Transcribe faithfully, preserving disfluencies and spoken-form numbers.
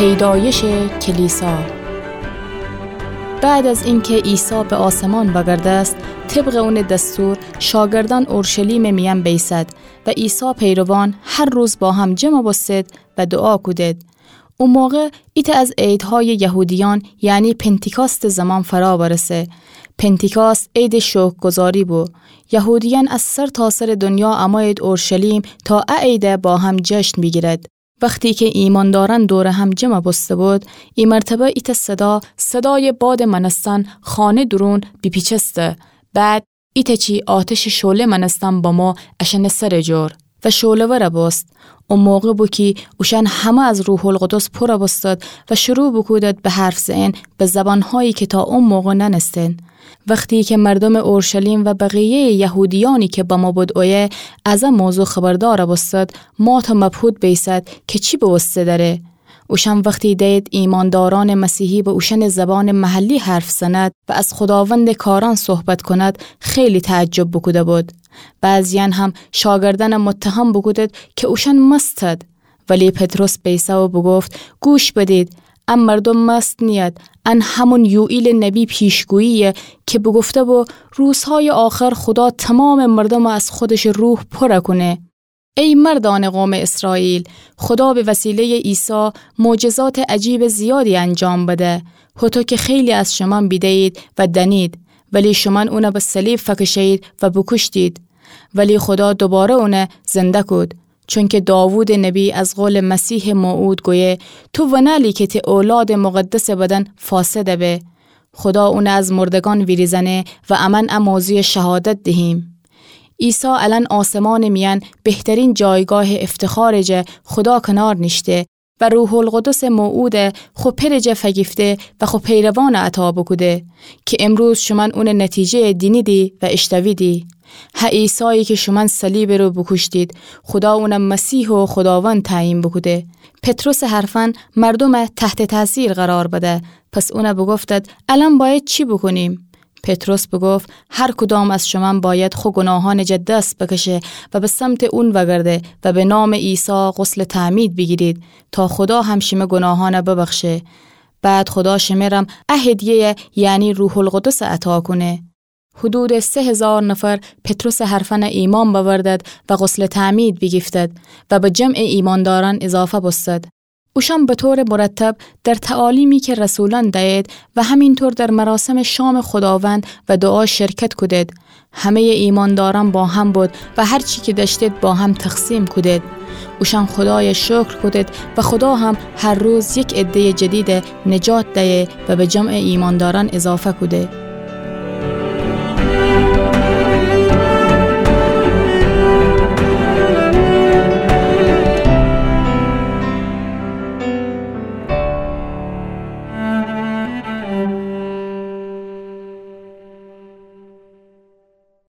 پیدایش کلیسا. بعد از اینکه عیسی به آسمان وگردست، طبق اونٚ دستور شاگردأن اورشلیمٚ میأن بیسد و عیسی پیروان هر روز با هم جمع بوستد و دوعا کودد. او موقع ایتأ از عیدهایٚ یهودیأن، یعنی پنتیکاستٚ زمان فرا برسه. پنتیکاست عیدٚ شکرگزاری بو. یهودیأن از سرتاسرٚ دنیا امویید اورشلیم تا ا عید با هم جشن بیگیرد. وختی که ایماندارأن دور هم جمع بوسته بود، ای مرتبه ایتأ صدا، صدایٚ بادٚ مأنستن خانه دورون بیپیچسته. بعد ایتأ چی آتشٚ شعله مأنستن بمو اشأنٚ سرٚ جور و شعله‌ور بوست. او موقع بو کی اوشأن همه از روح‌القدس پر بوستد و شروع بوکودد به حرف زئن به زبانهایی که تا او موقع نأنستن. وختی که مردومٚ اورشلیم و بقیه‌یٚ یهودیأنی که بمو بود اویه از ا موضوع خبردار بوستد، مات و مبهوت بیسد که چی بوسته دره. اوشأن وختی دید ایماندارأنٚ مسیحی به اوشأنٚ زبانٚ محلی حرف زند و از خوداوندٚ کارأن صحبت کند، خیلی تعجب بوکوده بود. بعضیأن هم شاگردأن متهم بوکودد که اوشأن مستد. ولی پطرس بیسه و بوگفت: گوش بدید، ا مردوم مست نیید، ان همون یوئیلٚ نبی پیشگویی‌یه که بوگفته بو روزهایٚ آخر خودا تومامٚ مردوم از خودشٚ روح پر کونه. ای مردأنٚ قومٚ اسرائیل، خودا به وسیله‌یٚ عیسی معجزاتٚ عجیبٚ زیادی انجام بده، هوطو که خیلی از شومأن بیده‌یید و دأنید، ولی شومأن اون به صلیب فکشه‌یید و بوکوشتید. ولی خودا دوباره اون زنده کود، چونکه داوودٚ نبی از قولٚ مسیحٚ موعود گویه: تو ونألی که تی اولادٚ مقدسٚ بدن فاسد به. خودا اون از مردگان ویریزأنه و امأن ا موضوع شهادت دهیم. عیسی الأن آسمانٚ میأن بهترین جایگاهٚ افتخارٚ جا خودا کنار نیشته و روح‌القدسٚ موعود خو پئرٚ جا فگیفته و خو پیروان عطا بوکوده که امروز شومأن اونٚ نتیجه‌یه دینیدی و ایشتویدی. ه عیسایی که شومأن صلیبٚ رو بوکوشتید، خودا اون مسیح و خوداوند تعیین بوکوده. پطرسٚ حرفأن مردوم تحتٚ تأثیر قرار بده. پس اون بوگفتد: الأن بأید چی بوکونیم؟ پطرس بوگفت: هر کدام از شومأن بأید خو گوناهأنٚ جا دس بکشه و به سمتٚ اون وگرده و به نامٚ عیسی غسلٚ تعمید بیگیرید تا خودا هم شیمه گوناهأن ببخشه. بعد خودا شمرم ا هدیه‌یه، یعنی روح‌القدس عطا کونه. حدودٚ سه هزار نفر پطرسٚ حرفأن ایمأن بأوردد و غسلٚ تعمید بیگیفتد و به جمعٚ ایمأندارأن اضافه بوستد. اوشأن به طورٚ مرتب در تعالیمی که رسولأن دأید و همینطور در مراسمٚ شامٚ خوداوند و دوعا شرکت کودد. همه‌یٚ ایمأندارأن با هم بود و هر چی که دأشتید با هم تقسیم کودید. اوشأن خودای شکر کودید و خودا هم هر روز یک عده‌یٚ جدید نجات دأیه و به جمعٚ ایمأندارأن اضافه کوده.